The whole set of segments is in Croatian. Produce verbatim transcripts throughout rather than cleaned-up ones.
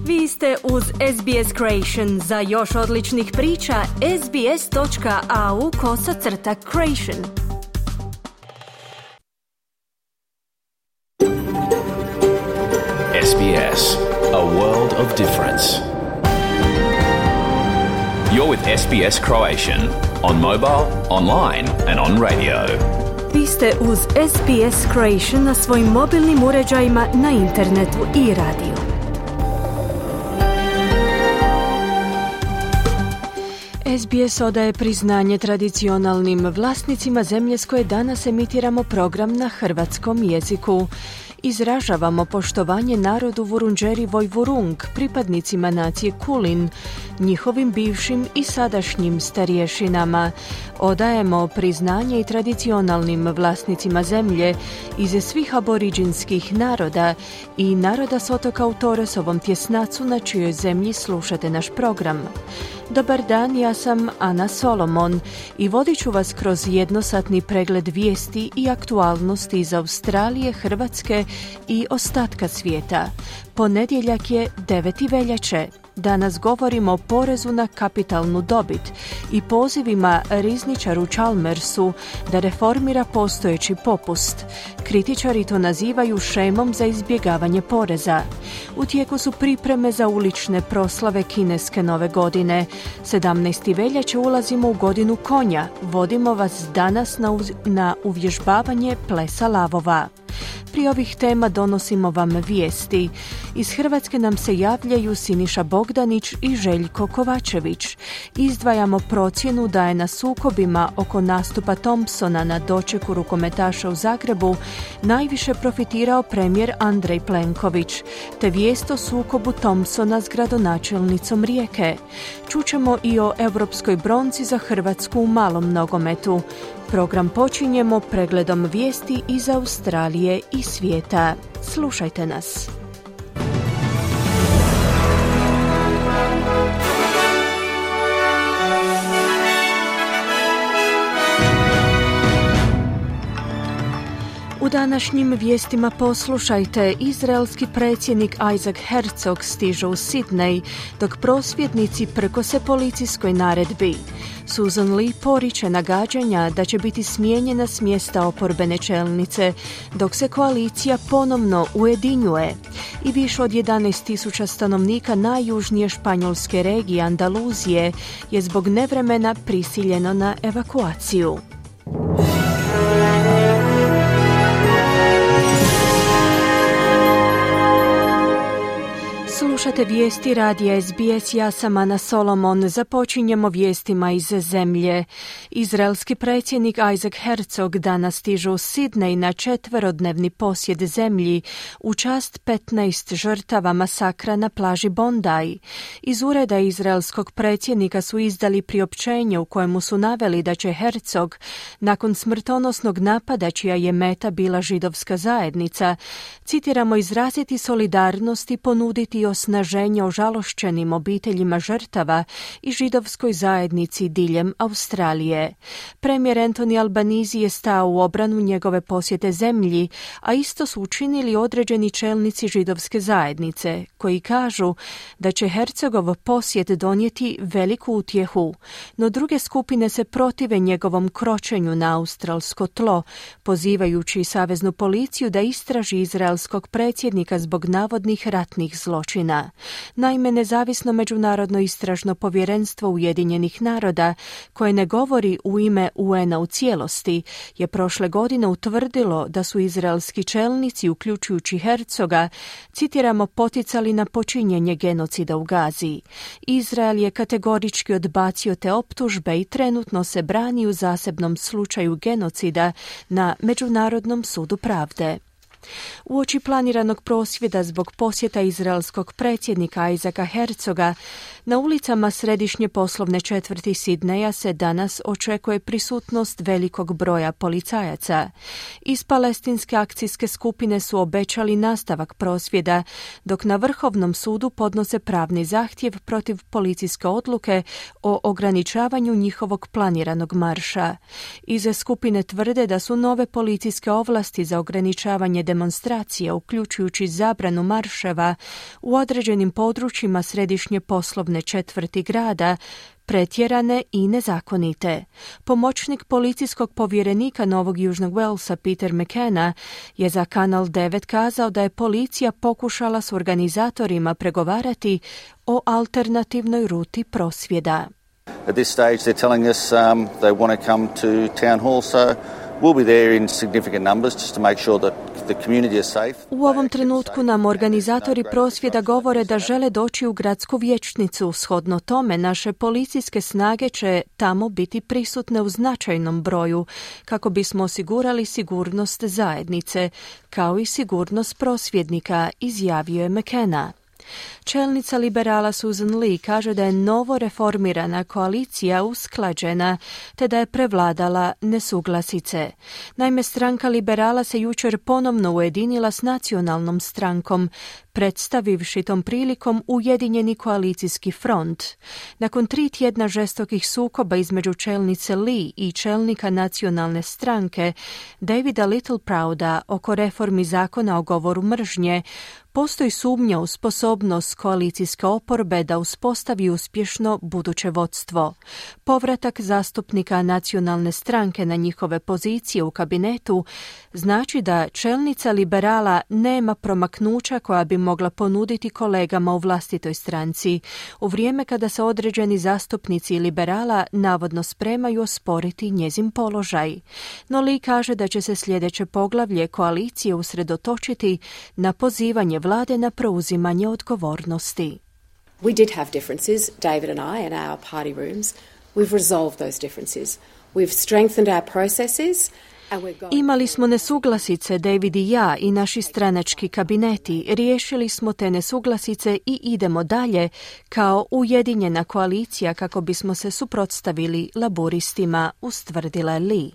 Vi ste uz S B S Creation. Za još odličnih priča, sbs.au kosacrta creation. S B S, a world of difference. You're with S B S Croatian, on mobile, online and on radio. Vi ste uz S B S Creation na svojim mobilnim uređajima, na internetu i radiju. S B S odaje priznanje tradicionalnim vlasnicima zemlje s koje danas emitiramo program na hrvatskom jeziku. Izražavamo poštovanje narodu Vurundjeri Vojvurung, pripadnicima nacije Kulin, njihovim bivšim i sadašnjim starješinama. Odajemo priznanje i tradicionalnim vlasnicima zemlje iz svih aboriđinskih naroda i naroda s otoka u Torresovom tjesnacu na čijoj zemlji slušate naš program. Dobar dan, ja sam Ana Solomon i vodit ću vas kroz jednosatni pregled vijesti i aktualnosti iz Australije, Hrvatske i ostatka svijeta. Ponedjeljak je deveti veljače. Danas govorimo o porezu na kapitalnu dobit i pozivima rizničaru Chalmersu da reformira postojeći popust. Kritičari to nazivaju šemom za izbjegavanje poreza. U tijeku su pripreme za ulične proslave kineske nove godine. sedamnaesti veljače ulazimo u godinu konja. Vodimo vas danas na, uz- na uvježbavanje plesa lavova. Prije ovih tema donosimo vam vijesti. Iz Hrvatske nam se javljaju Siniša Bogdanić i Željko Kovačević. Izdvajamo procjenu da je na sukobima oko nastupa Thompsona na dočeku rukometaša u Zagrebu najviše profitirao premijer Andrej Plenković, te vijest o sukobu Thompsona s gradonačelnicom Rijeke. Čućemo i o europskoj bronci za Hrvatsku u malom nogometu. Program počinjemo pregledom vijesti iz Australije i svijeta. Slušajte nas. U današnjim vijestima poslušajte, izraelski predsjednik Isaac Herzog stiže u Sidney, dok prosvjednici prkose policijskoj naredbi. Susan Lee poriče nagađanja da će biti smijenjena s mjesta oporbene čelnice, dok se koalicija ponovno ujedinjuje. I više od jedanaest tisuća stanovnika najjužnije španjolske regije Andaluzije je zbog nevremena prisiljeno na evakuaciju. Slušate vijesti radija S B S, ja sam Ana Solomon. Započinjemo vijestima iz zemlje. Izraelski predsjednik Isaac Herzog danas stiže u Sidney na četverodnevni posjet zemlji u čast petnaest žrtava masakra na plaži Bondi. Iz ureda izraelskog predsjednika su izdali priopćenje u kojemu su naveli da će Herzog, nakon smrtonosnog napada čija je meta bila židovska zajednica, citiramo, izraziti solidarnost i ponuditi osnaženje ožalošćenim obiteljima žrtava i židovskoj zajednici diljem Australije. Premijer Anthony Albanese je stao u obranu njegove posjete zemlji, a isto su učinili određeni čelnici židovske zajednice, koji kažu da će Herzogov posjet donijeti veliku utjehu, no druge skupine se protive njegovom kročenju na australsko tlo, pozivajući saveznu policiju da istraži izraelskog predsjednika zbog navodnih ratnih zločina. Naime, nezavisno međunarodno istražno povjerenstvo Ujedinjenih naroda, koje ne govori u ime U N-a u cijelosti, je prošle godine utvrdilo da su izraelski čelnici, uključujući Herzoga, citiramo, poticali na počinjenje genocida u Gazi. Izrael je kategorički odbacio te optužbe i trenutno se brani u zasebnom slučaju genocida na Međunarodnom sudu pravde. Uoči planiranog prosvjeda zbog posjeta izraelskog predsjednika Isaaca Herzoga, na ulicama središnje poslovne četvrti Sidneja se danas očekuje prisutnost velikog broja policajaca. Iz palestinske akcijske skupine su obećali nastavak prosvjeda, dok na Vrhovnom sudu podnose pravni zahtjev protiv policijske odluke o ograničavanju njihovog planiranog marša. Iz skupine tvrde da su nove policijske ovlasti za ograničavanje demonstracija, uključujući zabranu marševa u određenim područjima središnje poslovne četvrti grada, pretjerane i nezakonite. Pomoćnik policijskog povjerenika Novog Južnog Walesa Peter McKenna je za Kanal devet kazao da je policija pokušala s organizatorima pregovarati o alternativnoj ruti prosvjeda. At this stage they're telling us um, they want to come to town hall, so we'll be there in significant numbers just to make sure that the community is safe. U ovom trenutku nam organizatori prosvjeda govore da žele doći u gradsku vijećnicu. Shodno tome, naše policijske snage će tamo biti prisutne u značajnom broju kako bismo osigurali sigurnost zajednice, kao i sigurnost prosvjednika, izjavio je McKenna. Čelnica liberala Susan Lee kaže da je novo reformirana koalicija usklađena te da je prevladala nesuglasice. Naime, stranka liberala se jučer ponovno ujedinila s nacionalnom strankom, predstavivši tom prilikom ujedinjeni koalicijski front. Nakon tri tjedna žestokih sukoba između čelnice Lee i čelnika nacionalne stranke Davida Littleprouda oko reformi zakona o govoru mržnje, postoji sumnja u sposobnost koalicijske oporbe da uspostavi uspješno buduće vodstvo. Povratak zastupnika nacionalne stranke na njihove pozicije u kabinetu znači da čelnica liberala nema promaknuća koja bi mogla ponuditi kolegama u vlastitoj stranci, u vrijeme kada se određeni zastupnici liberala navodno spremaju osporiti njezin položaj. No Lee kaže da će se sljedeće poglavlje koalicije usredotočiti na pozivanje vlade na preuzimanje odgovornosti. We did have differences, David and I, in our party rooms. We've resolved those differences. We've strengthened our processes. Imali smo nesuglasice, David i ja, i naši stranački kabineti. Riješili smo te nesuglasice i idemo dalje kao ujedinjena koalicija kako bismo se suprotstavili laburistima, ustvrdila je Lee.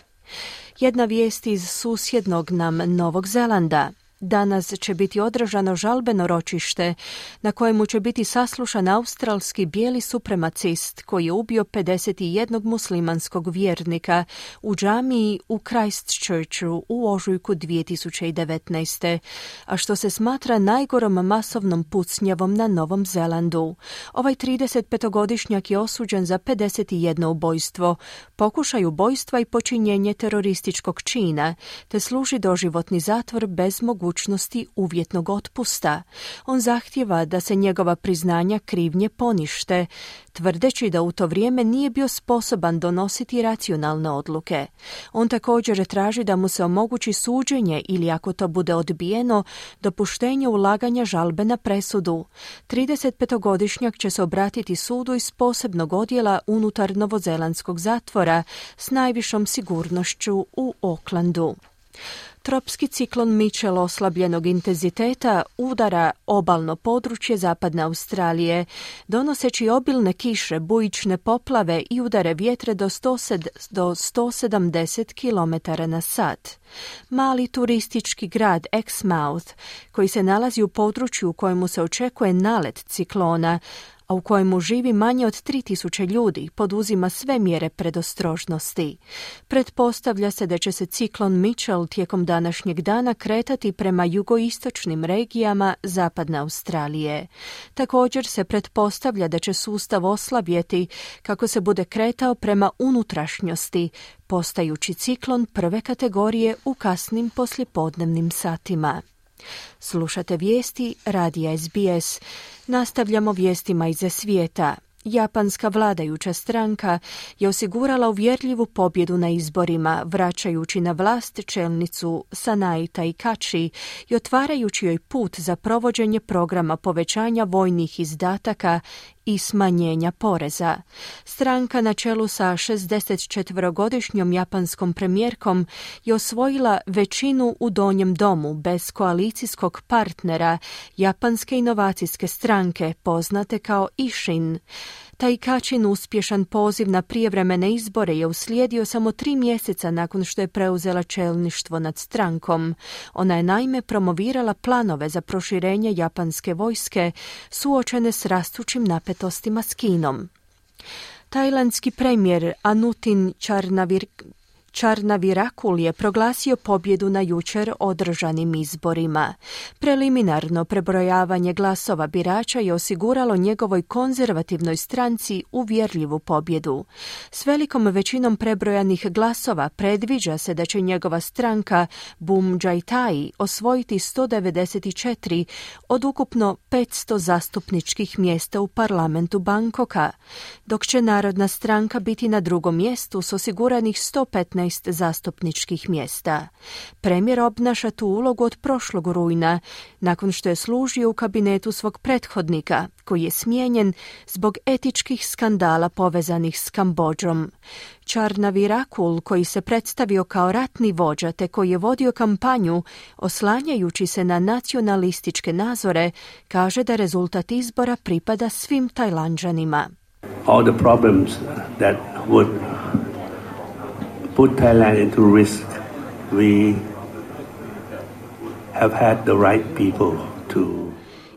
Jedna vijest iz susjednog nam Novog Zelanda. Danas će biti održano žalbeno ročište na kojemu će biti saslušan australski bijeli supremacist koji je ubio pedeset jedan muslimanskog vjernika u džamiji u Christchurchu u ožujku dvije tisuće devetnaeste. a što se smatra najgorom masovnom pucnjavom na Novom Zelandu. Ovaj tridesetpetogodišnjak je osuđen za pedeset jedno ubojstvo, pokušaj ubojstva i počinjenje terorističkog čina, te služi doživotni zatvor bez mogućnosti mogućnosti uvjetnog otpusta. On zahtijeva da se njegova priznanja krivnje ponište, tvrdeći da u to vrijeme nije bio sposoban donositi racionalne odluke. On također traži da mu se omogući suđenje ili, ako to bude odbijeno, dopuštenje ulaganja žalbe na presudu. tridesetpetogodišnjak će se obratiti sudu iz posebnog odjela unutar novozelandskog zatvora s najvišom sigurnošću u Aucklandu. Tropski ciklon Mitchell oslabljenog intenziteta udara obalno područje zapadne Australije, donoseći obilne kiše, bujične poplave i udare vjetre do sto sedamdeset kilometara na sat. Mali turistički grad Exmouth, koji se nalazi u području u kojemu se očekuje nalet ciklona, a u kojemu živi manje od tri tisuće ljudi, poduzima sve mjere predostrožnosti. Pretpostavlja se da će se ciklon Mitchell tijekom današnjeg dana kretati prema jugoistočnim regijama zapadne Australije. Također se pretpostavlja da će sustav oslabjeti kako se bude kretao prema unutrašnjosti, postajući ciklon prve kategorije u kasnim poslijepodnevnim satima. Slušate vijesti radija S B S. Nastavljamo vijestima iz svijeta. Japanska vladajuća stranka je osigurala uvjerljivu pobjedu na izborima, vraćajući na vlast čelnicu Sanae Taikachi i otvarajući joj put za provođenje programa povećanja vojnih izdataka i smanjenja poreza. Stranka na čelu sa šezdesetčetverogodišnjom japanskom premijerkom je osvojila većinu u donjem domu bez koalicijskog partnera japanske inovacijske stranke poznate kao Ishin. Taikachin uspješan poziv na prijevremene izbore je uslijedio samo tri mjeseca nakon što je preuzela čelništvo nad strankom. Ona je naime promovirala planove za proširenje japanske vojske suočene s rastućim napetostima s Kinom. Tajlandski premijer Anutin Charnavir Čarnavirakul je proglasio pobjedu na jučer održanim izborima. Preliminarno prebrojavanje glasova birača je osiguralo njegovoj konzervativnoj stranci uvjerljivu pobjedu. S velikom većinom prebrojanih glasova predviđa se da će njegova stranka Bum Džajtai osvojiti sto devedeset četiri od ukupno petsto zastupničkih mjesta u parlamentu Bangkoka, dok će Narodna stranka biti na drugom mjestu s osiguranih sto petnaest zastupničkih mjesta. Premijer obnaša tu ulogu od prošlog rujna, nakon što je služio u kabinetu svog prethodnika, koji je smijenjen zbog etičkih skandala povezanih s Kambodžom. Čarnavirakul, koji se predstavio kao ratni vođa te koji je vodio kampanju oslanjajući se na nacionalističke nazore, kaže da rezultat izbora pripada svim Tajlanđanima. All the problems that would put Thailand into risk, we have had the right people to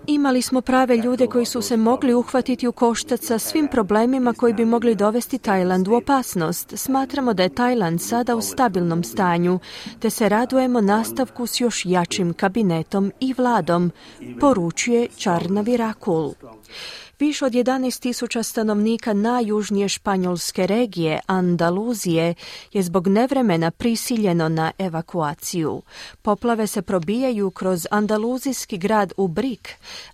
Imali smo prave ljude koji su se mogli uhvatiti u koštac sa svim problemima koji bi mogli dovesti Tajland u opasnost. Smatramo da je Tajland sada u stabilnom stanju, te se radujemo nastavku s još jačim kabinetom i vladom, poručuje Čarnavirakul. Više od jedanaest tisuća stanovnika najjužnije španjolske regije, Andaluzije, je zbog nevremena prisiljeno na evakuaciju. Poplave se probijaju kroz andaluzijski grad Ubrik,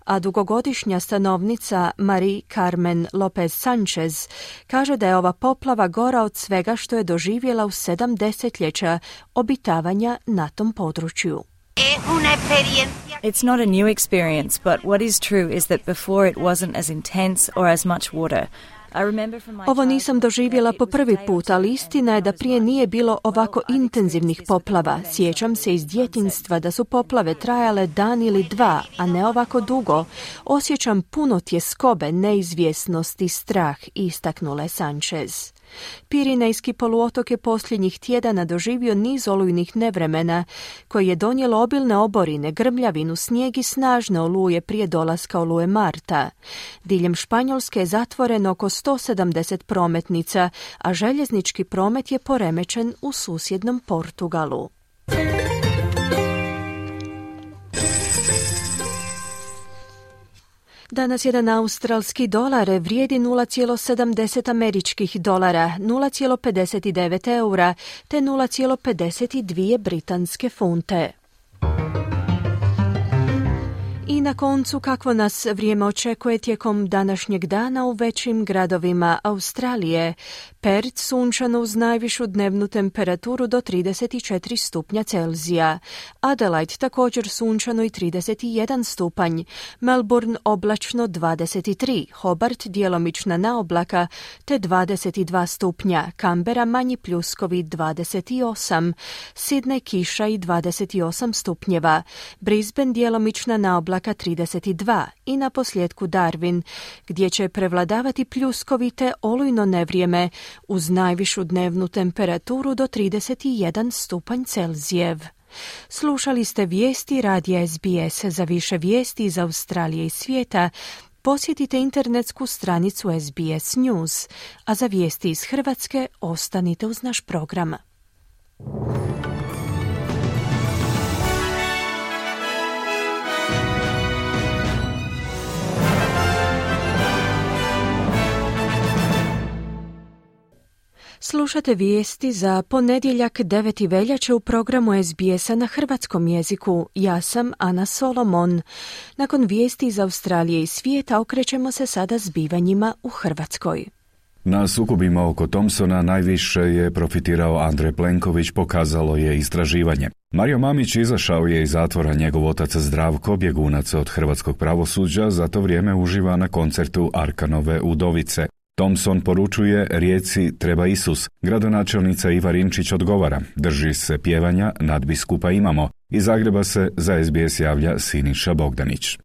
a dugogodišnja stanovnica Marie Carmen Lopez Sanchez kaže da je ova poplava gora od svega što je doživjela u sedam desetljeća obitavanja na tom području. It's not a new experience, but what is true is that before it wasn't as intense or as much water. Ovo nisam doživjela po prvi put, ali istina je da prije nije bilo ovako intenzivnih poplava. Sjećam se iz djetinjstva da su poplave trajale dan ili dva, a ne ovako dugo. Osjećam puno tjeskobe, neizvjesnost i strah, istaknula Sanchez. Pirinejski poluotok je posljednjih tjedana doživio niz olujnih nevremena koji je donijelo obilne oborine, grmljavinu, snijeg i snažne oluje prije dolaska oluje Marta. Diljem Španjolske je zatvoreno oko sto sedamdeset prometnica, a željeznički promet je poremećen u susjednom Portugalu. Danas jedan australski dolar vrijedi nula zarez sedamdeset američkih dolara, nula zarez pedeset devet eura te nula zarez pedeset dvije britanske funte. I na koncu, kakvo nas vrijeme očekuje tijekom današnjeg dana u većim gradovima Australije. Perth sunčano uz najvišu dnevnu temperaturu do trideset četiri stupnja Celzija. Adelaide također sunčano i trideset jedan stupanj. Melbourne oblačno dvadeset tri. Hobart djelomična naoblaka te dvadeset dva stupnja. Canberra manji pljuskovi dvadeset osam. Sydney kiša i dvadeset osam stupnjeva. Brisbane djelomična naoblaka trideset dva i na posljedku Darwin, gdje će prevladavati pljuskovite olujno nevrijeme uz najvišu dnevnu temperaturu do trideset jedan stupanj Celzijev. Slušali ste vijesti radija S B S. Za više vijesti iz Australije i svijeta posjetite internetsku stranicu S B S News, a za vijesti iz Hrvatske ostanite uz naš program. Slušate vijesti za ponedjeljak deveti veljače u programu S B S-a na hrvatskom jeziku. Ja sam Ana Solomon. Nakon vijesti iz Australije i svijeta okrećemo se sada zbivanjima u Hrvatskoj. Na sukobima oko Thompsona najviše je profitirao Andrej Plenković, pokazalo je istraživanje. Mario Mamić izašao je iz zatvora, njegov otac Zdravko, bjegunac od hrvatskog pravosuđa, za to vrijeme uživa na koncertu Arkanove Udovice. Thompson poručuje Rijeci treba Isus. Gradonačelnica Iva Rimčić odgovara, drži se pjevanja, nadbiskupa imamo. Iz Zagreba se za S B S javlja Siniša Bogdanić.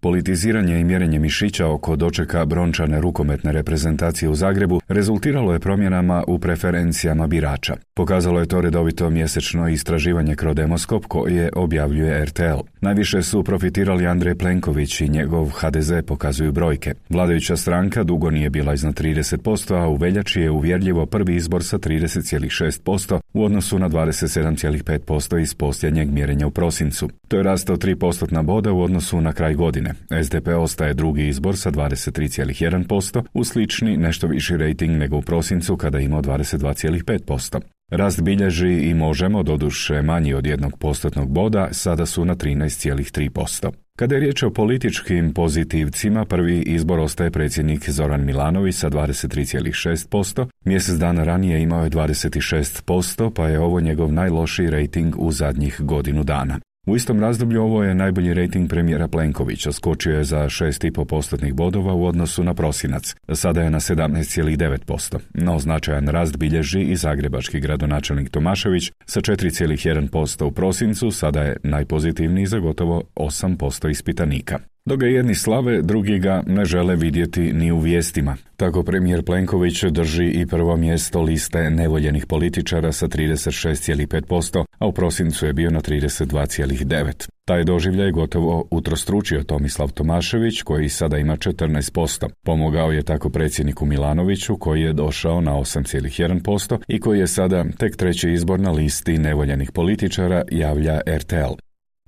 Politiziranje i mjerenje mišića oko dočeka brončane rukometne reprezentacije u Zagrebu rezultiralo je promjenama u preferencijama birača. Pokazalo je to redovito mjesečno istraživanje Crodemoskop koje objavljuje R T L. Najviše su profitirali Andrej Plenković i njegov H D Z, pokazuju brojke. Vladajuća stranka dugo nije bila iznad trideset posto, a u veljači je uvjerljivo prvi izbor sa trideset zarez šest posto u odnosu na dvadeset sedam zarez pet posto iz posljednjeg mjerenja u prosincu. To je rastao tri postotna boda u odnosu na kraj godine. S D P ostaje drugi izbor sa dvadeset tri zarez jedan posto, u slični nešto viši rejting nego u prosincu kada je imao dvadeset dva zarez pet posto. Rast bilježi i Možemo, doduše manji od jednog postotnog boda, sada su na trinaest zarez tri posto. Kada je riječ o političkim pozitivcima, prvi izbor ostaje predsjednik Zoran Milanović sa dvadeset tri zarez šest posto. Mjesec dana ranije imao je dvadeset šest posto, pa je ovo njegov najlošiji rejting u zadnjih godinu dana. U istom razdoblju ovo je najbolji rejting premijera Plenkovića, skočio je za šest zarez pet postotnih bodova u odnosu na prosinac. Sada je na sedamnaest zarez devet posto, no značajan rast bilježi i zagrebački gradonačelnik Tomašević sa četiri zarez jedan posto u prosincu, sada je najpozitivniji za gotovo osam posto ispitanika. Dok ga jedni slave, drugi ga ne žele vidjeti ni u vijestima. Tako premijer Plenković drži i prvo mjesto liste nevoljenih političara sa trideset šest zarez pet posto, a u prosincu je bio na trideset dva zarez devet. Taj doživljaj gotovo utrostručio Tomislav Tomašević, koji sada ima četrnaest posto. Pomogao je tako predsjedniku Milanoviću, koji je došao na osam zarez jedan posto i koji je sada tek treći izbor na listi nevoljenih političara, javlja R T L.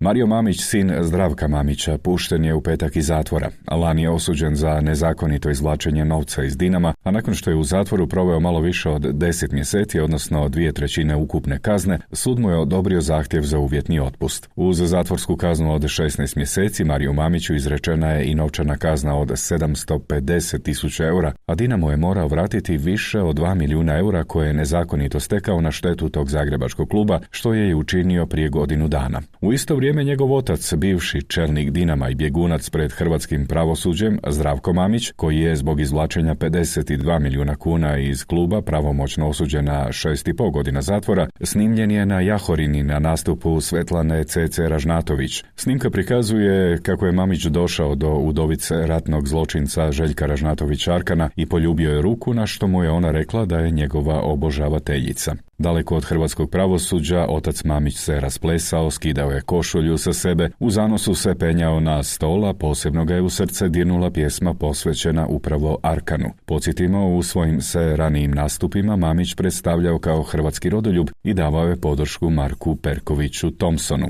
Mario Mamić, sin Zdravka Mamića, pušten je u petak iz zatvora. Lani je osuđen za nezakonito izvlačenje novca iz Dinama, a nakon što je u zatvoru proveo malo više od deset mjeseci, odnosno dvije trećine ukupne kazne, sud mu je odobrio zahtjev za uvjetni otpust. Uz zatvorsku kaznu od šesnaest mjeseci, Mario Mamiću izrečena je i novčana kazna od sedamsto pedeset tisuća eura, a Dinamo je morao vratiti više od dva milijuna eura koje je nezakonito stekao na štetu tog zagrebačkog kluba, što je i učinio prije godinu dana. U isto vrijeme vrijeme njegov otac, bivši čelnik Dinama i bjegunac pred hrvatskim pravosuđem, Zdravko Mamić, koji je zbog izvlačenja pedeset dva milijuna kuna iz kluba pravomoćno osuđen na šest i pol godina zatvora, snimljen je na Jahorini na nastupu Svetlane C C Ražnatović. Snimka prikazuje kako je Mamić došao do udovice ratnog zločinca Željka Ražnatović Arkana i poljubio je ruku, na što mu je ona rekla da je njegova obožavateljica. Daleko od hrvatskog pravosuđa, otac Mamić se rasplesao, skidao je košulju sa sebe, u zanosu se penjao na stola, posebno ga je u srce dirnula pjesma posvećena upravo Arkanu. Podsjetimo, u svojim se ranijim nastupima Mamić predstavljao kao hrvatski rodoljub i davao je podršku Marku Perkoviću Thompsonu.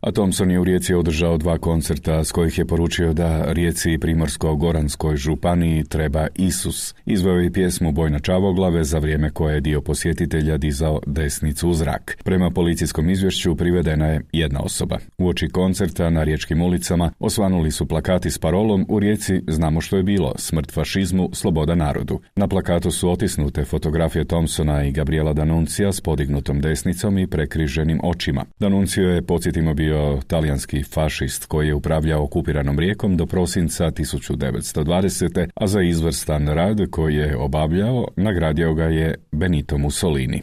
A Thompson je u Rijeci održao dva koncerta s kojih je poručio da Rijeci i Primorsko-goranskoj županiji treba Isus. Izveo je pjesmu Boj na Čavoglave, za vrijeme koje je dio posjetitelja dizao desnicu u zrak. Prema policijskom izvješću privedena je jedna osoba. Uoči koncerta na riječkim ulicama osvanuli su plakati s parolom "U Rijeci znamo što je bilo, smrt fašizmu, sloboda narodu". Na plakatu su otisnute fotografije Thompsona i Gabriela D'Annunzia s podignutom desnicom i prekriženim očima. D'Annunzio je, podsjetimo, bio talijanski fašist koji je upravljao okupiranom Rijekom do prosinca tisuću devetsto dvadesete. a za izvrstan rad koji je obavljao nagradio ga je Benito Mussolini.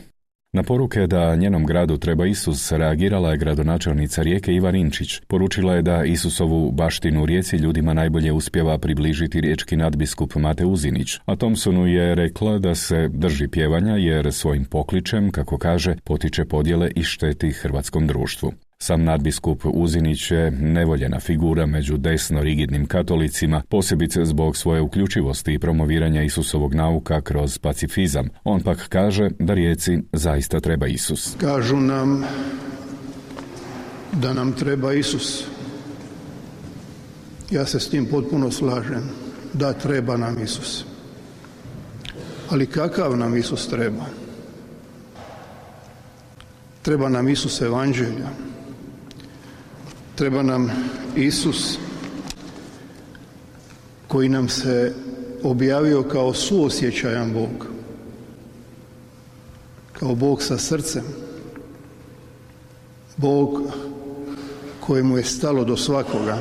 Na poruke da njenom gradu treba Isus reagirala je gradonačelnica Rijeke Iva Rinčić. Poručila je da Isusovu baštinu u Rijeci ljudima najbolje uspijeva približiti riječki nadbiskup Mate Uzinić, a Thompsonu je rekla da se drži pjevanja jer svojim pokličem, kako kaže, potiče podjele i šteti hrvatskom društvu. Sam nadbiskup Uzinić je nevoljena figura među desno rigidnim katolicima, posebice zbog svoje uključivosti i promoviranja Isusovog nauka kroz pacifizam. On pak kaže da Rijeci zaista treba Isus. Kažu nam da nam treba Isus. Ja se s tim potpuno slažem. Da, treba nam Isus. Ali kakav nam Isus treba? Treba nam Isus evanđelja. Treba nam Isus koji nam se objavio kao suosjećajan Bog, kao Bog sa srcem, Bog kojemu je stalo do svakoga.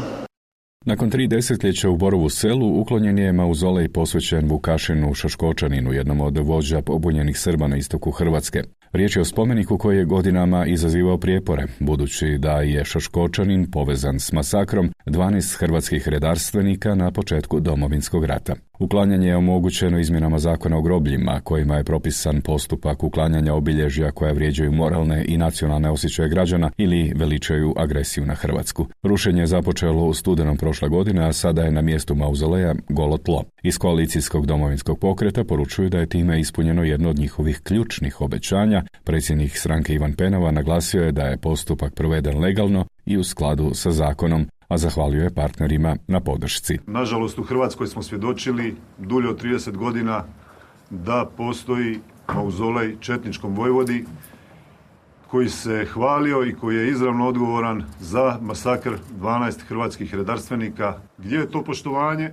Nakon tri desetljeća u Borovu Selu uklonjen je mauzolej posvećen Vukašinu Šoškočaninu, jednom od vođa pobunjenih Srba na istoku Hrvatske. Riječ je o spomeniku koji je godinama izazivao prijepore, budući da je Šoškočanin povezan s masakrom dvanaest hrvatskih redarstvenika na početku Domovinskog rata. Uklanjanje je omogućeno izmjenama zakona o grobljima, kojima je propisan postupak uklanjanja obilježja koja vrijeđaju moralne i nacionalne osjećaje građana ili veličaju agresiju na Hrvatsku. Rušenje je započelo u studenom prošle godine, a sada je na mjestu mauzoleja golo tlo. Iz koalicijskog Domovinskog pokreta poručuju da je time ispunjeno jedno od njihovih ključnih obećanja. Predsjednik stranke Ivan Penava naglasio je da je postupak proveden legalno i u skladu sa zakonom, a zahvalio je partnerima na podršci. Nažalost, u Hrvatskoj smo svjedočili dulje od trideset godina da postoji mauzolej četničkom vojvodi koji se hvalio i koji je izravno odgovoran za masakr dvanaest hrvatskih redarstvenika. Gdje je to poštovanje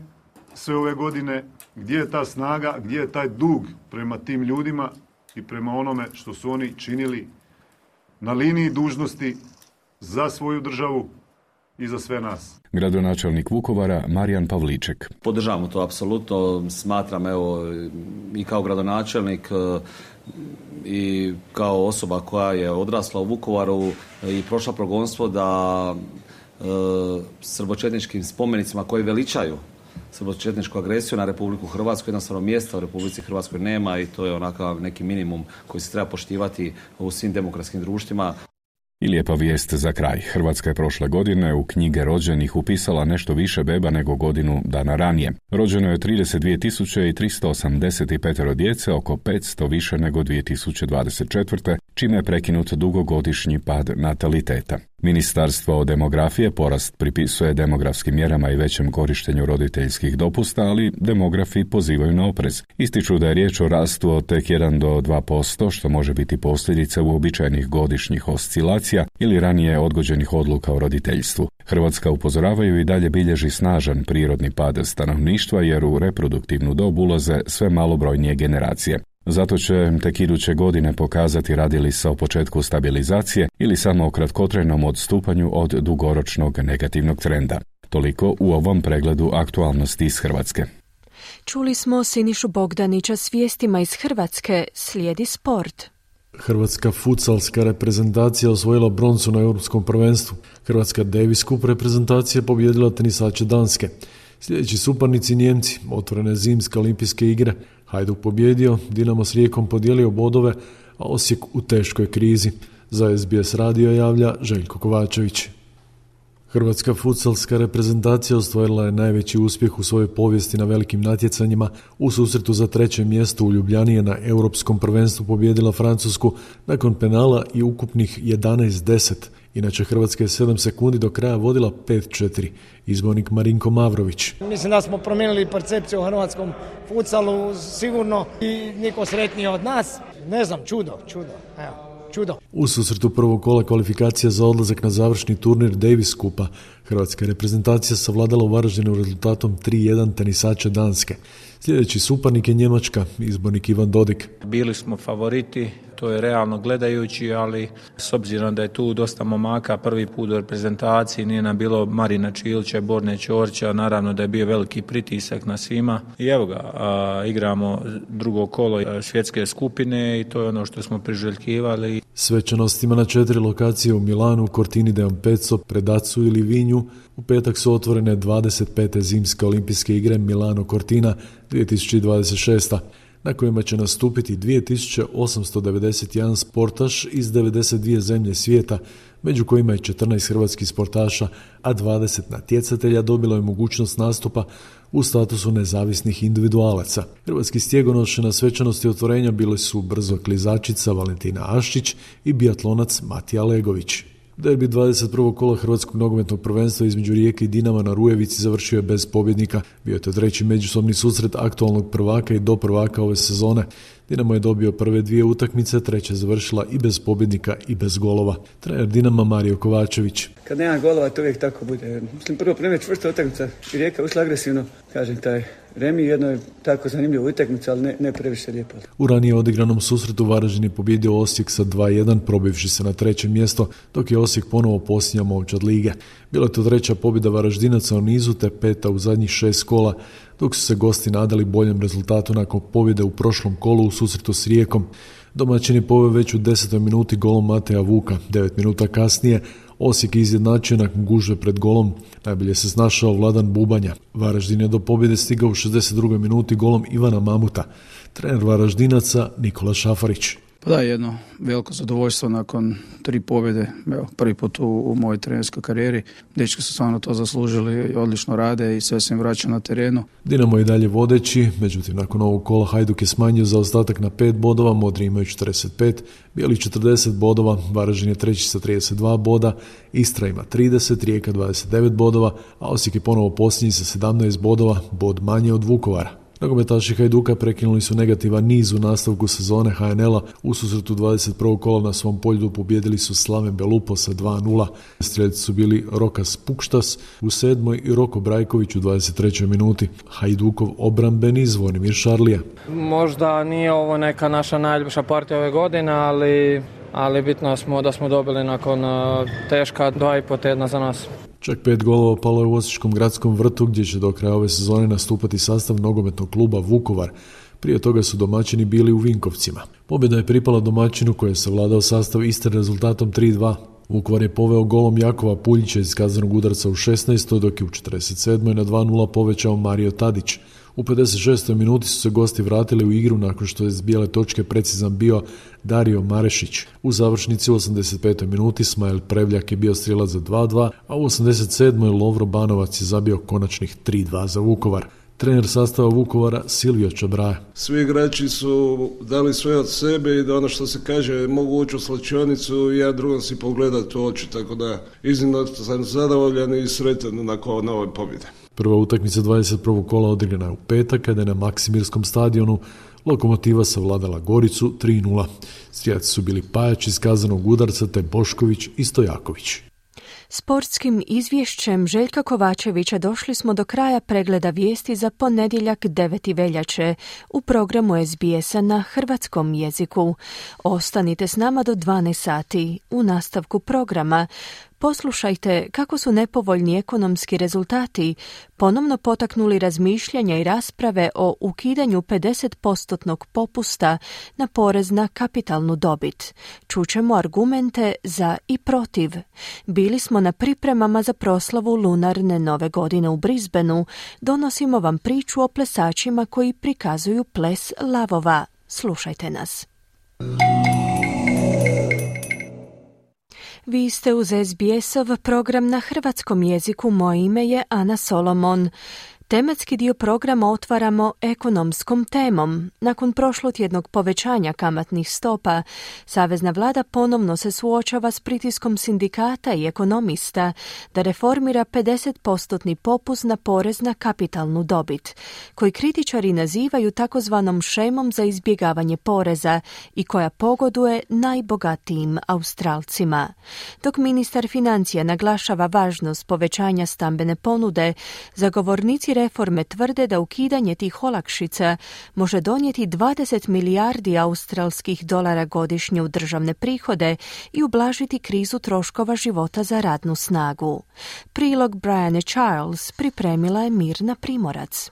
sve ove godine? Gdje je ta snaga? Gdje je taj dug prema tim ljudima i prema onome što su oni činili na liniji dužnosti za svoju državu i za sve nas? Gradonačelnik Vukovara Marijan Pavliček. Podržavamo to apsolutno, smatram evo i kao gradonačelnik i kao osoba koja je odrasla u Vukovaru i prošla progonstvo da e, srbočetničkim spomenicima koji veličaju srbočetničku agresiju na Republiku Hrvatsku, jednostavno mjesta u Republici Hrvatskoj nema i to je onakav neki minimum koji se treba poštivati u svim demokratskim društvima. I lijepa vijest za kraj. Hrvatska je prošle godine u knjige rođenih upisala nešto više beba nego godinu dana ranije. Rođeno je trideset dvije tisuće tristo osamdeset pet djece, oko petsto više nego dvije tisuće dvadeset četvrte, čime je prekinut dugogodišnji pad nataliteta. Ministarstvo demografije porast pripisuje demografskim mjerama i većem korištenju roditeljskih dopusta, ali demografi pozivaju na oprez. Ističu da je riječ o rastu od tek jedan do dva posto, što može biti posljedica uobičajenih godišnjih oscilacija ili ranije odgođenih odluka o roditeljstvu. Hrvatska, upozoravaju, i dalje bilježi snažan prirodni pad stanovništva jer u reproduktivnu dob ulaze sve malobrojnije generacije. Zato će tek iduće godine pokazati radi li se o početku stabilizacije ili samo o kratkotrajnom odstupanju od dugoročnog negativnog trenda. Toliko u ovom pregledu aktualnosti iz Hrvatske. Čuli smo Sinišu Bogdanića s vijestima iz Hrvatske, slijedi sport. Hrvatska futsalska reprezentacija osvojila broncu na europskom prvenstvu. Hrvatska Davis Cup reprezentacija pobijedila tenisače Danske. Sljedeći suparnici Njemci, otvorene zimske olimpijske igre. Hajduk pobjedio, Dinamo s Rijekom podijelio bodove, a Osijek u teškoj krizi. Za S B S radio javlja Željko Kovačević. Hrvatska futsalska reprezentacija ostvarila je najveći uspjeh u svojoj povijesti na velikim natjecanjima. U susretu za treće mjesto u Ljubljani je na europskom prvenstvu pobijedila Francusku nakon penala i ukupnih jedanaest deset. Inače, Hrvatska je sedam sekundi do kraja vodila pet četiri. Izbornik Marinko Mavrović. Mislim da smo promijenili percepciju u hrvatskom futsalu sigurno i niko sretniji od nas. Ne znam, čudo, čudo, evo. Čudo. U susretu prvog kola kvalifikacija za odlazak na završni turnir Davis Cupa, hrvatska reprezentacija savladala u Varaždinu rezultatom tri jedan tenisača Danske. Sljedeći suparnik je Njemačka, izbornik Ivan Dodik. Bili smo favoriti, to je realno gledajući, ali s obzirom da je tu dosta momaka prvi put u reprezentaciji, nije nam bilo Marina Čilića i Borne Ćorća, naravno da je bio veliki pritisak na svima. I evo ga, a, igramo drugo kolo svjetske skupine i to je ono što smo priželjkivali. Svečanostima na četiri lokacije u Milanu, Cortini d'Ampezzo, Predacu i Livinju u petak su otvorene dvadeset pete zimske olimpijske igre Milano Cortina dvije tisuće dvadeset šeste. na kojima će nastupiti dvije tisuće osamsto devedeset jedan sportaš iz devedeset dvije zemlje svijeta, među kojima je četrnaest hrvatskih sportaša, a dvadeset natjecatelja dobilo je mogućnost nastupa u statusu nezavisnih individualaca. Hrvatski stjegonoše na svečanosti otvorenja bili su brzo klizačica Valentina Aščić i biatlonac Matija Legović. Derbi dvadeset prvog kola hrvatskog nogometnog prvenstva između Rijeke i Dinama na Rujevici završio je bez pobjednika. Bio je to treći međusobni susret aktualnog prvaka i do prvaka ove sezone. Dinamo je dobio prve dvije utakmice, treća završila i bez pobjednika i bez golova. Trener Dinama Mario Kovačević. Kad nema golova, to uvijek tako bude. Mislim, prvo primjer čvrsta utakmica i Rijeka ušla agresivno. Kažem, taj remi jedno je tako zanimljivo utakmica, ali ne, ne previše lijepo. U ranije odigranom susretu Varaždin je pobjedio Osijek sa dva jedan, probivši se na treće mjesto, dok je Osijek ponovo posljednja momčad lige. Bila je to treća pobjeda Varaždinaca u nizu, te peta u zadnjih šest kola, dok su se gosti nadali boljem rezultatu nakon pobjede u prošlom kolu u susretu s Rijekom. Domaćin je poveo već u desetoj minuti golom Mateja Vuka. Devet minuta kasnije Osijek je izjednačio nakon gužve pred golom. Najbolje se snašao Vladan Bubanja. Varaždin je do pobjede stigao u šezdeset drugoj minuti golom Ivana Mamuta. Trener Varaždinaca Nikola Šafarić. Pa da, jedno veliko zadovoljstvo nakon tri pobjede, evo, prvi put u, u mojoj trenerskoj karijeri. Dečki su stvarno to zaslužili, odlično rade i sve se im vraća na terenu. Dinamo je dalje vodeći, međutim nakon ovog kola Hajduk je smanjio zaostatak na pet bodova, Modri imaju četrdeset pet, Bijeli četrdeset bodova, Varaždin je treći sa trideset dva boda, Istra ima trideset, Rijeka dvadeset devet bodova, a Osijek je ponovo posljednji sa sedamnaest bodova, bod manje od Vukovara. Nogometaši Hajduka prekinuli su negativan niz u nastavku sezone H N L-a. U susretu dvadeset prvog kola na svom polju pobijedili su Slaven Belupo sa dva nula. Strijelci su bili Rokas Pukštas u sedmoj i Roko Brajković u dvadeset trećoj minuti. Hajdukov obrambeni Zvonimir Šarlija. Možda nije ovo neka naša najljepša partija ove godine, ali, ali bitno smo da smo dobili nakon teška dva i po tjedna za nas. Čak pet golova palo je u Osječkom gradskom vrtu gdje će do kraja ove sezone nastupati sastav nogometnog kluba Vukovar. Prije toga su domaćini bili u Vinkovcima. Pobjeda je pripala domaćinu koji je savladao sastav Istre rezultatom tri dva. Vukovar je poveo golom Jakova Puljića iz kaznenog udarca u šesnaestoj dok je u četrdeset sedmoj na dva nula povećao Mario Tadić. U pedeset šestoj minuti su se gosti vratili u igru nakon što je s bijele točke precizan bio Dario Marešić. U završnici u osamdeset petoj minuti Smajl Prevljak je bio strijelac za dva dva, a u osamdeset sedmoj Lovro Banovac je zabio konačnih tri dva za Vukovar. Trener sastava Vukovara Silvio Čabraja. Svi igrači su dali sve od sebe i da ono što se kaže mogu ući u slačionicu i ja drugom si pogledati u oči, tako da iznimno sam zadovoljan i sretan nakon ove pobjede. Prva utakmica dvadeset prvog kola odigrana je u petak kada je na Maksimirskom stadionu Lokomotiva savladala Goricu tri nula. Strijelci su bili Pajač iz kaznenog udarca te Bošković i Stojaković. Sportskim izvješćem Željka Kovačevića došli smo do kraja pregleda vijesti za ponedjeljak deveti veljače u programu S B S-a na hrvatskom jeziku. Ostanite s nama do dvanaest sati. U nastavku programa poslušajte kako su nepovoljni ekonomski rezultati ponovno potaknuli razmišljanja i rasprave o ukidanju pedeset postotnog popusta na porez na kapitalnu dobit. Čućemo argumente za i protiv. Bili smo na pripremama za proslavu lunarne nove godine u Brisbaneu. Donosimo vam priču o plesačima koji prikazuju ples lavova. Slušajte nas. Vi ste uz S B S-ov program na hrvatskom jeziku. Moje ime je Ana Solomon. Tematski dio programa otvaramo ekonomskom temom. Nakon prošlotjednog povećanja kamatnih stopa, savezna vlada ponovno se suočava s pritiskom sindikata i ekonomista da reformira pedeset postotni popust na porez na kapitalnu dobit, koji kritičari nazivaju takozvanom šemom za izbjegavanje poreza i koja pogoduje najbogatijim Australcima. Dok ministar financija naglašava važnost povećanja stambene ponude, zagovornici reforme tvrde da ukidanje tih olakšica može donijeti dvadeset milijardi australskih dolara godišnje u državne prihode i ublažiti krizu troškova života za radnu snagu. Prilog Brianne Charles pripremila je Mirna Primorac.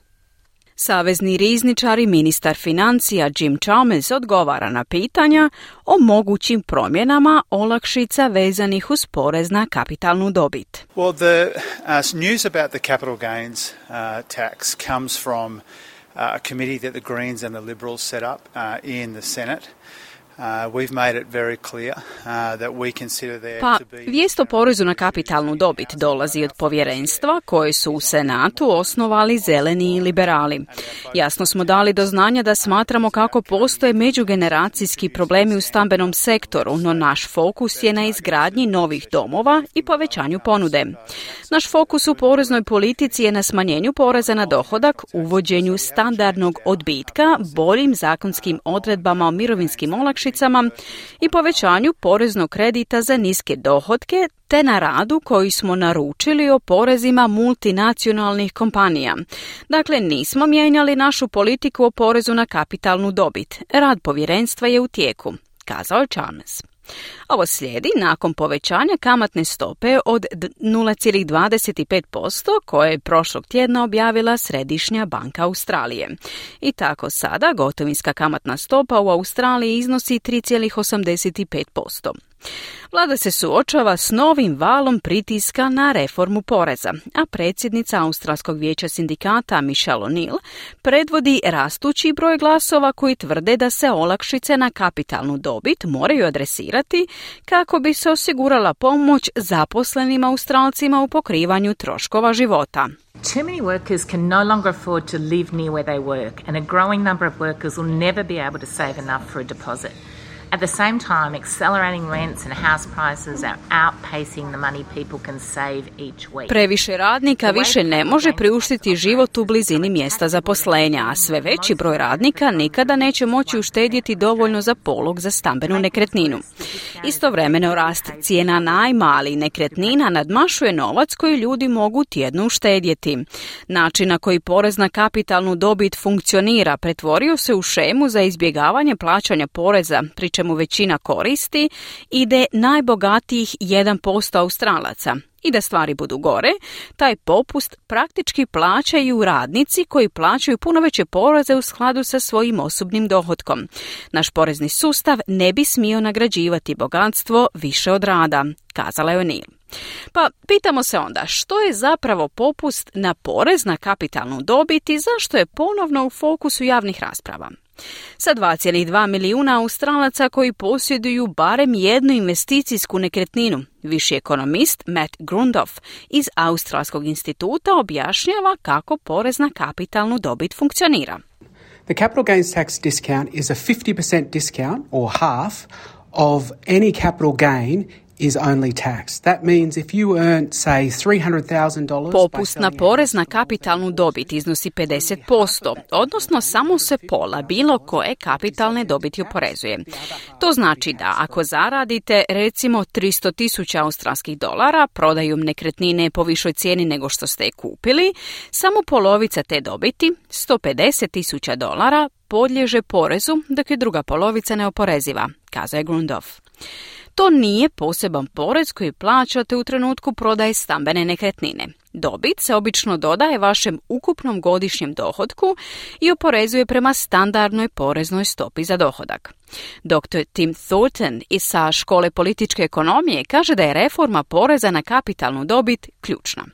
Savezni rizničar i ministar financija Jim Chalmers odgovara na pitanja o mogućim promjenama olakšica vezanih uz porez na kapitalnu dobit. Well, the uh, news about the capital gains uh, tax comes from uh, a committee that the Greens and the Liberals set up uh, in the Senate. Uh, we've made it very clear uh, that we consider there pa, to be... Vijest o porezu na kapitalnu dobit dolazi od povjerenstva koje su u Senatu osnovali zeleni i liberali. Jasno smo dali do znanja da smatramo kako postoje međugeneracijski problemi u stambenom sektoru, no naš fokus je na izgradnji novih domova i povećanju ponude. Naš fokus u poreznoj politici je na smanjenju poreza na dohodak, uvođenju standardnog odbitka, boljim zakonskim odredbama o mirovinskim olakšicama i povećanju poreznog kredita za niske dohotke, te na radu koji smo naručili o porezima multinacionalnih kompanija. Dakle, nismo mijenjali našu politiku o porezu na kapitalnu dobit. Rad povjerenstva je u tijeku, kazao je Chalmers. Ovo slijedi nakon povećanja kamatne stope od nula zarez dvadeset pet posto koje je prošlog tjedna objavila Središnja banka Australije. I tako sada gotovinska kamatna stopa u Australiji iznosi tri zarez osamdeset pet posto. Vlada se suočava s novim valom pritiska na reformu poreza, a predsjednica Australskog vijeća sindikata Michelle O'Neill predvodi rastući broj glasova koji tvrde da se olakšice na kapitalnu dobit moraju adresirati kako bi se osigurala pomoć zaposlenim Australcima u pokrivanju troškova života. Too many workers can no longer afford to live near where they work, and a growing number of workers will never be able to save enough for a deposit. At the same time, accelerating rents and house prices are outpacing the money people can save each week. Previše radnika više ne može priuštiti život u blizini mjesta zaposlenja, a sve veći broj radnika nikada neće moći uštedjeti dovoljno za polog za stambenu nekretninu. Istovremeno rast cijena najma, ali nekretnina nadmašuje novac koji ljudi mogu tjedno uštedjeti. Način na koji porez na kapitalnu dobit funkcionira pretvorio se u šemu za izbjegavanje plaćanja poreza, pri čemu većina koristi ide najbogatijih jedan posto Australaca. I da stvari budu gore, taj popust praktički plaćaju radnici koji plaćaju puno veće poreze u skladu sa svojim osobnim dohotkom. Naš porezni sustav ne bi smio nagrađivati bogatstvo više od rada, kazala je O'Neill. Pa pitamo se onda što je zapravo popust na porez na kapitalnu dobit i zašto je ponovno u fokusu javnih rasprava. Sa dva zarez dva milijuna Australaca koji posjeduju barem jednu investicijsku nekretninu, viši ekonomist Matt Grundoff iz Australskog instituta objašnjava kako porez na kapitalnu dobit funkcionira. The capital gains tax discount is a fifty percent discount or half of any capital gain is only tax. That means if you earn, say, three hundred thousand dollars... Popust na porez na kapitalnu dobit iznosi pedeset posto, odnosno samo se pola bilo koje kapitalne dobiti oporezuje. To znači da ako zaradite recimo tristo tisuća australskih dolara prodajom nekretnine po višoj cijeni nego što ste je kupili, samo polovica te dobiti, sto pedeset tisuća dolara, podliježe porezu, dok je druga polovica neoporeziva, kazao je Grundoff. To nije poseban porez koji plaćate u trenutku prodaje stambene nekretnine. Dobit se obično dodaje vašem ukupnom godišnjem dohotku i oporezuje prema standardnoj poreznoj stopi za dohodak. doktor Tim Thornton iz sa škole političke ekonomije kaže da je reforma poreza na kapitalnu dobit ključna.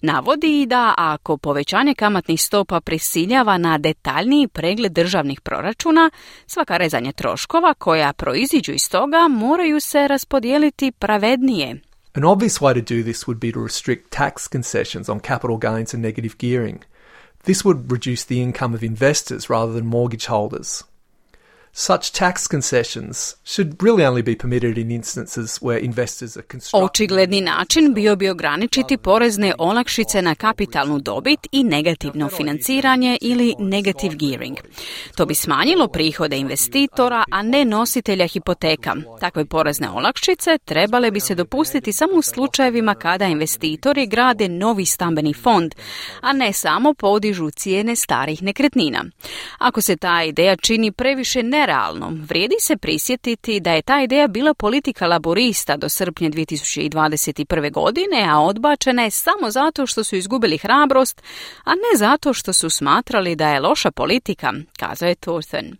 Navodi i da ako povećanje kamatnih stopa prisiljava na detaljniji pregled državnih proračuna, svaka rezanja troškova koja proiziđu iz toga moraju se raspodijeliti pravednije. An obvious way to do this would be to restrict tax concessions on capital gains and negative gearing. This would reduce the income of investors rather than mortgage holders. Such tax concessions should really only be permitted in instances where investors are constructing... Očigledni način bio bi ograničiti porezne olakšice na kapitalnu dobit i negativno financiranje ili negative gearing. To bi smanjilo prihode investitora, a ne nositelja hipoteka. Takve porezne olakšice trebale bi se dopustiti samo u slučajevima kada investitori grade novi stambeni fond, a ne samo podižu cijene starih nekretnina. Ako se ta ideja čini previše ne realno, vrijedi se prisjetiti da je ta ideja bila politika laborista do srpnja dvije tisuće dvadeset prve. godine, a odbačena je samo zato što su izgubili hrabrost, a ne zato što su smatrali da je loša politika, kazao je Thornton.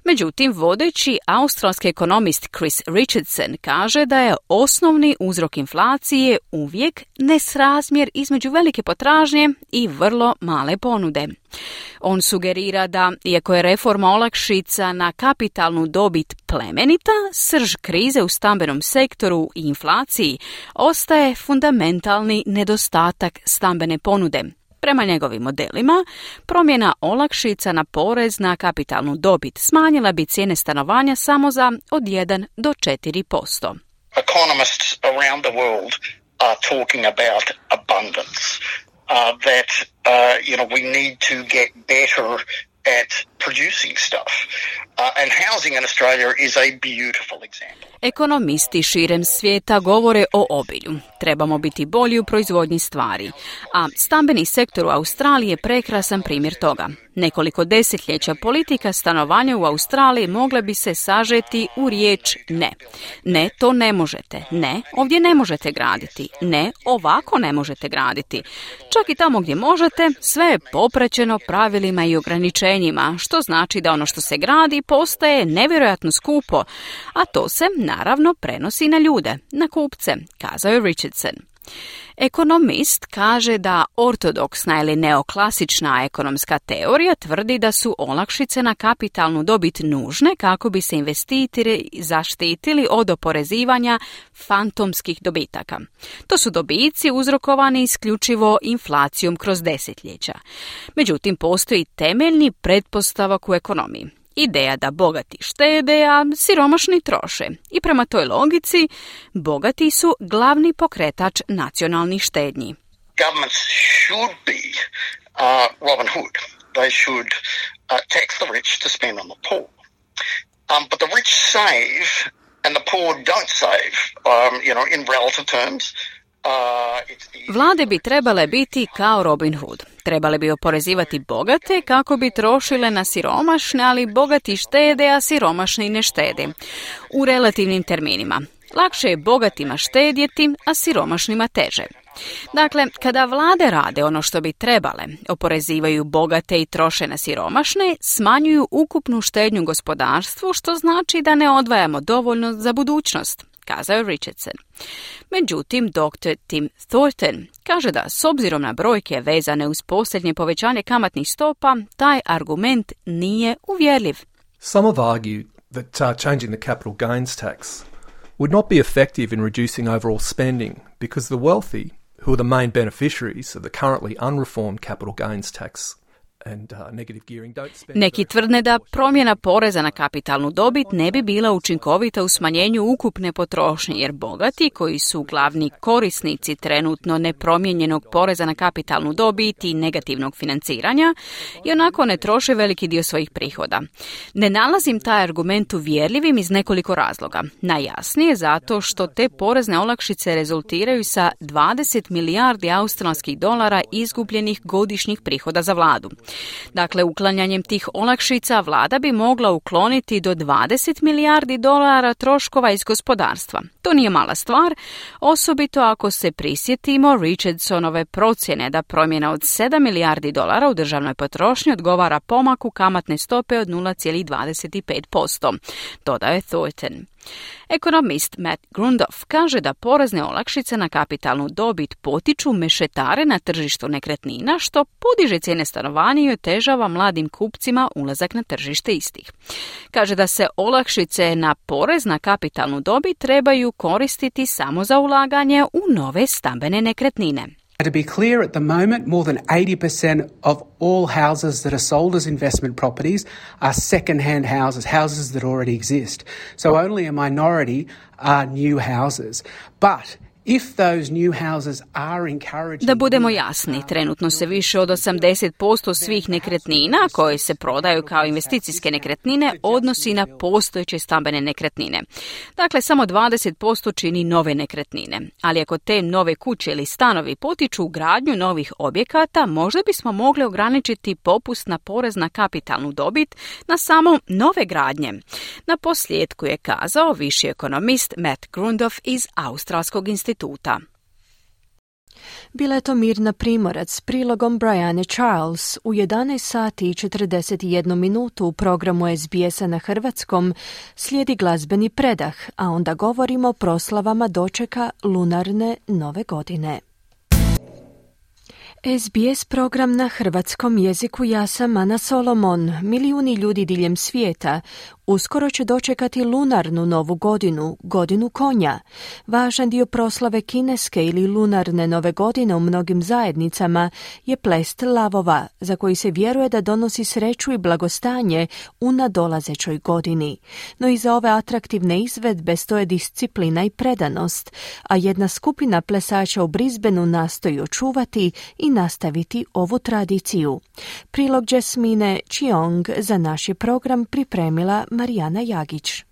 Međutim, vodeći australski ekonomist Chris Richardson kaže da je osnovni uzrok inflacije uvijek nesrazmjer između velike potražnje i vrlo male ponude. On sugerira da, iako je reforma olakšica na kapitalnu dobit plemenita, srž krize u stambenom sektoru i inflaciji ostaje fundamentalni nedostatak stambene ponude. Prema njegovim modelima, promjena olakšica na porez na kapitalnu dobit smanjila bi cijene stanovanja samo za od jedan do četiri posto. Economists around the world are talking about abundance, uh, that uh, you know we need to get better at producing stuff. Uh, and housing in Australia is a beautiful example. Ekonomisti širem svijeta govore o obilju. Trebamo biti bolji u proizvodnji stvari. A stambeni sektor u Australiji je prekrasan primjer toga. Nekoliko desetljeća politika stanovanja u Australiji mogle bi se sažeti u riječ ne. Ne, to ne možete. Ne, ovdje ne možete graditi. Ne, ovako ne možete graditi. Čak i tamo gdje možete, sve je popraćeno pravilima i ograničenjima, što znači da ono što se gradi postaje nevjerojatno skupo, a to se naravno prenosi na ljude, na kupce, kazao je Richardson. Ekonomist kaže da ortodoksna ili neoklasična ekonomska teorija tvrdi da su olakšice na kapitalnu dobit nužne kako bi se investitori zaštitili od oporezivanja fantomskih dobitaka. To su dobici uzrokovani isključivo inflacijom kroz desetljeća. Međutim, postoji temeljni pretpostavak u ekonomiji. Ideja da bogati štede, a siromašni troše. I prema toj logici, bogati su glavni pokretač nacionalnih štednji. Governments should be uh, Robin Hood. They should uh, tax the rich to spend on the poor. Um, but the rich save and the poor don't save, um, you know, in relative terms. Vlade bi trebale biti kao Robin Hood. Trebale bi oporezivati bogate kako bi trošile na siromašne, ali bogati štede, a siromašni ne štede. U relativnim terminima. Lakše je bogatima štedjeti, a siromašnima teže. Dakle, kada vlade rade ono što bi trebale, oporezivaju bogate i troše na siromašne, smanjuju ukupnu štednju gospodarstvu, što znači da ne odvajamo dovoljno za budućnost, kazao je Richardson. Međutim, doktor Tim Thornton kaže da s obzirom na brojke vezane uz posljednje povećanje kamatnih stopa, taj argument nije uvjerljiv. Some have argued that uh, changing the capital gains tax would not be effective in reducing overall spending because the wealthy, who are the main beneficiaries of the currently unreformed capital gains tax, and, uh, negative gearing, don't spend... Neki tvrdne da promjena poreza na kapitalnu dobit ne bi bila učinkovita u smanjenju ukupne potrošnje, jer bogati, koji su glavni korisnici trenutno nepromijenjenog poreza na kapitalnu dobit i negativnog financiranja, i onako ne troše veliki dio svojih prihoda. Ne nalazim taj argument uvjerljivim iz nekoliko razloga. Najjasnije zato što te porezne olakšice rezultiraju sa dvadeset milijardi australskih dolara izgubljenih godišnjih prihoda za vladu. Dakle, uklanjanjem tih olakšica vlada bi mogla ukloniti do dvadeset milijardi dolara troškova iz gospodarstva. To nije mala stvar, osobito ako se prisjetimo Richardsonove procjene da promjena od sedam milijardi dolara u državnoj potrošnji odgovara pomaku kamatne stope od nula zarez dvadeset pet posto, dodao je Thornton. Ekonomist Matt Grundoff kaže da porezne olakšice na kapitalnu dobit potiču mešetare na tržištu nekretnina, što podiže cijene stanovanja i otežava mladim kupcima ulazak na tržište istih. Kaže da se olakšice na porez na kapitalnu dobit trebaju koristiti samo za ulaganje u nove stambene nekretnine. To be clear, at the moment, more than eighty percent of all houses that are sold as investment properties are second-hand houses, houses that already exist. So only a minority are new houses. But if those new houses are encouraging... Da budemo jasni, trenutno se više od osamdeset posto svih nekretnina koje se prodaju kao investicijske nekretnine odnosi na postojeće stambene nekretnine. Dakle, samo dvadeset posto čini nove nekretnine. Ali ako te nove kuće ili stanovi potiču gradnju novih objekata, možda bismo mogli ograničiti popust na porez na kapitalnu dobit na samo nove gradnje. Na posljedku je kazao viši ekonomist Matt Grundoff iz Australskog instituta. Bila je to Mirna Primorac s prilogom Brianne Charles u jedanaest sati i četrdeset jednu minutu u programu S B S-a na hrvatskom slijedi glazbeni predah, a onda govorimo o proslavama dočeka lunarne nove godine. S B S program na hrvatskom jeziku, ja sam Ana Solomon. Milijuni ljudi diljem svijeta Uskoro će dočekati lunarnu novu godinu, godinu konja. Važan dio proslave kineske ili lunarne nove godine u mnogim zajednicama je plest lavova, za koji se vjeruje da donosi sreću i blagostanje u nadolazećoj godini. No iza ove atraktivne izvedbe stoje disciplina i predanost, a jedna skupina plesača u Brisbaneu nastoji očuvati i nastaviti ovu tradiciju. Prilog Jasmine Chiong za naš je program pripremila Marijana Jagić.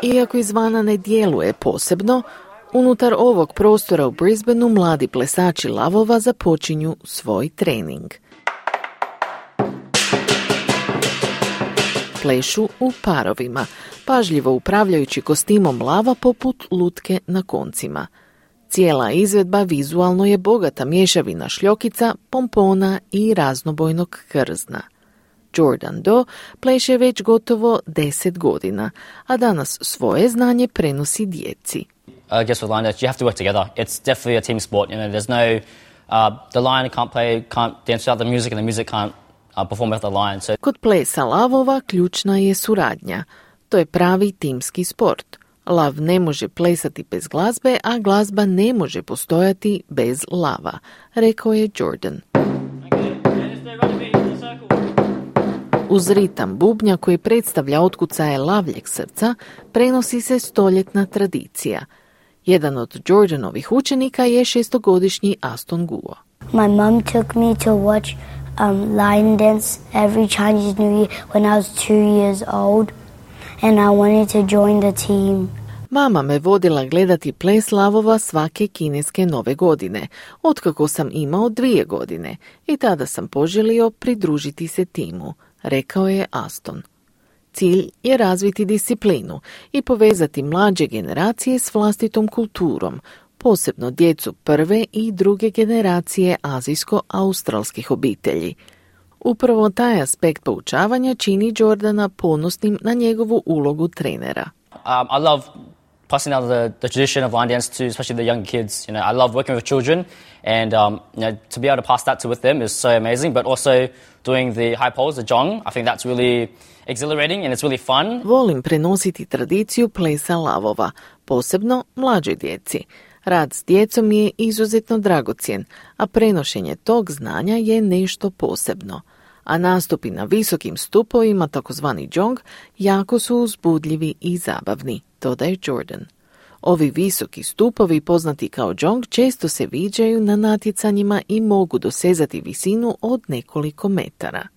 Iako izvana ne djeluje posebno, unutar ovog prostora u Brisbaneu mladi plesači lavova započinju svoj trening. Plešu u parovima, pažljivo upravljajući kostimom lava poput lutke na koncima. Cijela izvedba vizualno je bogata mješavina šljokica, pompona i raznobojnog krzna. Jordan Do pleše već gotovo deset godina, a danas svoje znanje prenosi djeci. I guess with line dance you have to work together. It's definitely a team sport. You know, there's no uh, the lion can't play, can't dance without the music, and the music can't uh, perform without the lion. So Kod plesa lavova ključna je suradnja. To je pravi timski sport. Lav ne može plesati bez glazbe, a glazba ne može postojati bez lava, rekao je Jordan. Uz ritam bubnja koji predstavlja otkucaje lavljeg srca, prenosi se stoljetna tradicija. Jedan od Jordanovih učenika je šestogodišnji Aston Guo. My mom took me to watch um, lion dance every Chinese New Year when I was two years old. And I wanted to join the team. Mama me vodila gledati ples lavova svake kineske nove godine, otkako sam imao dvije godine, i tada sam poželio pridružiti se timu, rekao je Aston. Cilj je razviti disciplinu i povezati mlađe generacije s vlastitom kulturom, posebno djecu prve i druge generacije azijsko-australskih obitelji. Upravo taj aspekt poučavanja čini Jordana ponosnim na njegovu ulogu trenera. um, I love passing out the, the tradition of line dance to especially the young kids. You know, I love working with children, and um, you know, to be able to pass that to with them is so amazing. But also doing the high poles, the zhong, I think that's really exhilarating and it's really fun. Volim prenositi tradiciju plesa lavova, posebno mlađoj djeci. Rad s djecom je izuzetno dragocjen, a prenošenje tog znanja je nešto posebno. A nastupi na visokim stupovima, takozvani zhong, jako su uzbudljivi i zabavni, dodaje Jordan. Ovi visoki stupovi, poznati kao zhong, često se viđaju na natjecanjima i mogu dosezati visinu od nekoliko metara.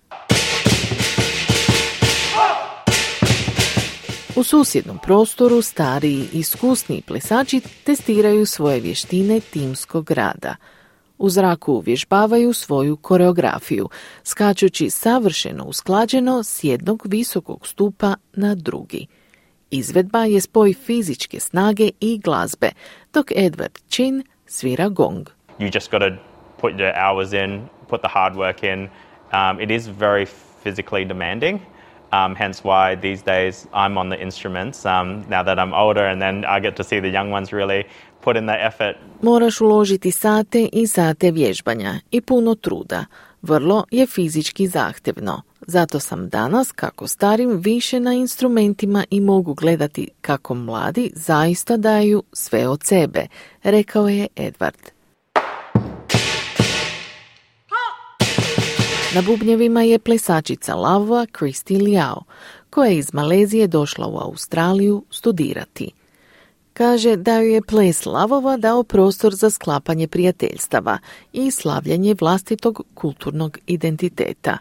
U susjednom prostoru stariji i iskusniji plesači testiraju svoje vještine timskog rada. U zraku uvježbavaju svoju koreografiju, skačući savršeno usklađeno s jednog visokog stupa na drugi. Izvedba je spoj fizičke snage i glazbe, dok Edward Chin svira gong. You just got to put the hours in, put the hard work in. Um, it is very physically demanding. Um, hence why these days I'm on the instruments um, now that I'm older, and then I get to see the young ones really put in the effort. Moraš uložiti sate i sate vježbanja i puno truda. Vrlo je fizički zahtjevno. Zato sam danas, kako starim, više na instrumentima i mogu gledati kako mladi zaista daju sve od sebe, rekao je Edward. Na bubnjevima je plesačica lavova Christy Liao, koja je iz Malezije došla u Australiju studirati. Kaže da joj je ples lavova dao prostor za sklapanje prijateljstava i slavljanje vlastitog kulturnog identiteta.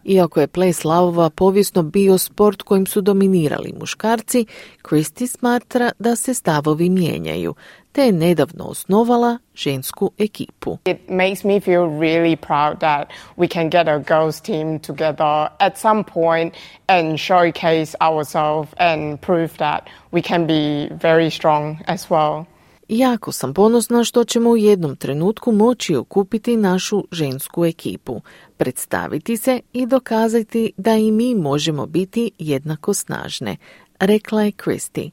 Iako je ples lavova povijesno bio sport kojim su dominirali muškarci, Christy smatra da se stavovi mijenjaju, te je nedavno osnovala žensku ekipu. It makes me feel really proud that we can get a girls team together at some point and showcase ourselves and prove that we can be very strong as well. Jako sam ponosna što ćemo u jednom trenutku moći okupiti našu žensku ekipu, predstaviti se i dokazati da i mi možemo biti jednako snažne, rekla je Christy.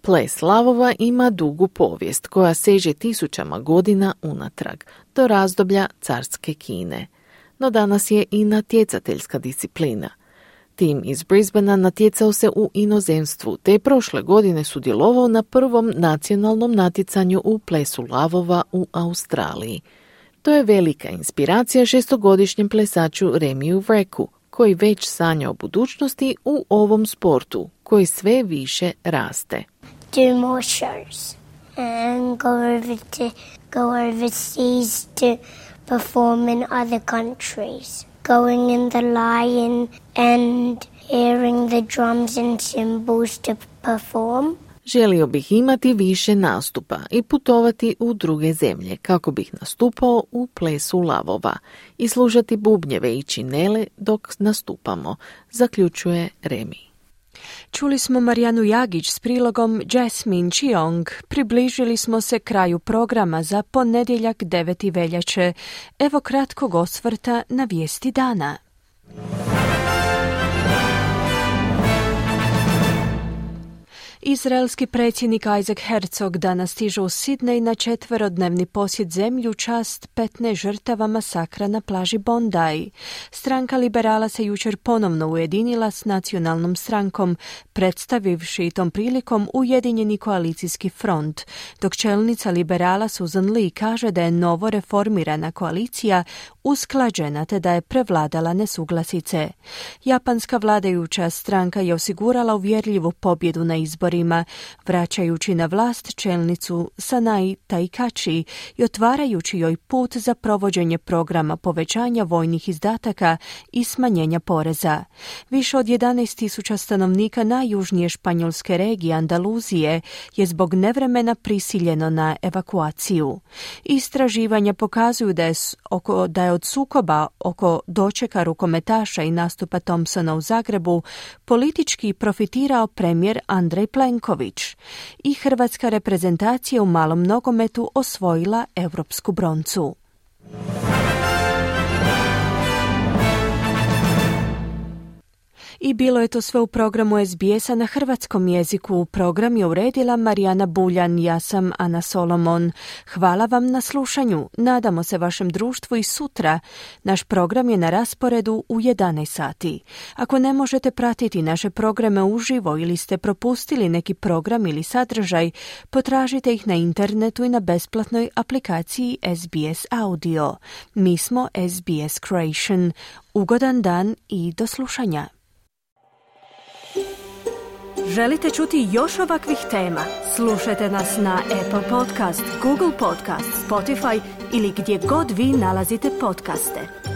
Ples lavova ima dugu povijest koja seže tisućama godina unatrag, do razdoblja carske Kine. no danas je i natjecateljska disciplina. Tim iz Brisbanea natjecao se u inozemstvu, te je prošle godine sudjelovao na prvom nacionalnom natjecanju u plesu lavova u Australiji. To je velika inspiracija šestogodišnjem plesaču Remiju Vreku, koji već sanja o budućnosti u ovom sportu, koji sve više raste. Do more shows and go over to go overseas to perform in other countries. Going in the lion and hearing the drums and cymbals to perform. Želio bih imati više nastupa i putovati u druge zemlje kako bih nastupao u plesu lavova i slušati bubnjeve i činele dok nastupamo, zaključuje Remi. Čuli smo Marijanu Jagić s prilogom Jasmine Chiong. Približili smo se kraju programa za ponedjeljak deveti veljače. Evo kratkog osvrta na vijesti dana. Izraelski predsjednik Isaac Herzog danas stiže u Sidnej na četverodnevni posjet zemlji u čast petnaest žrtava masakra na plaži Bondi. Stranka liberala se jučer ponovno ujedinila s nacionalnom strankom, predstavivši tom prilikom Ujedinjeni koalicijski front, dok čelnica liberala Susan Lee kaže da je novo reformirana koalicija usklađena te da je prevladala nesuglasice. Japanska vladajuća stranka je osigurala uvjerljivu pobjedu na izborima, vraćajući na vlast čelnicu Sanai Taikachi i otvarajući joj put za provođenje programa povećanja vojnih izdataka i smanjenja poreza. Više od jedanaest tisuća stanovnika najjužnije španjolske regije Andaluzije je zbog nevremena prisiljeno na evakuaciju. Istraživanja pokazuju da je, oko, da je od sukoba oko dočeka rukometaša i nastupa Thompsona u Zagrebu politički profitirao premijer Andrej Plenković i hrvatska reprezentacija u malom nogometu osvojila europsku broncu. I bilo je to sve u programu S B S-a na hrvatskom jeziku. Program je uredila Marijana Buljan, ja sam Ana Solomon. Hvala vam na slušanju. Nadamo se vašem društvu i sutra. Naš program je na rasporedu u jedanaest sati. Ako ne možete pratiti naše programe uživo ili ste propustili neki program ili sadržaj, potražite ih na internetu i na besplatnoj aplikaciji S B S Audio. Mi smo S B S Creation. Ugodan dan i do slušanja. Želite čuti još ovakvih tema? Slušajte nas na Apple Podcast, Google Podcast, Spotify ili gdje god vi nalazite podcaste.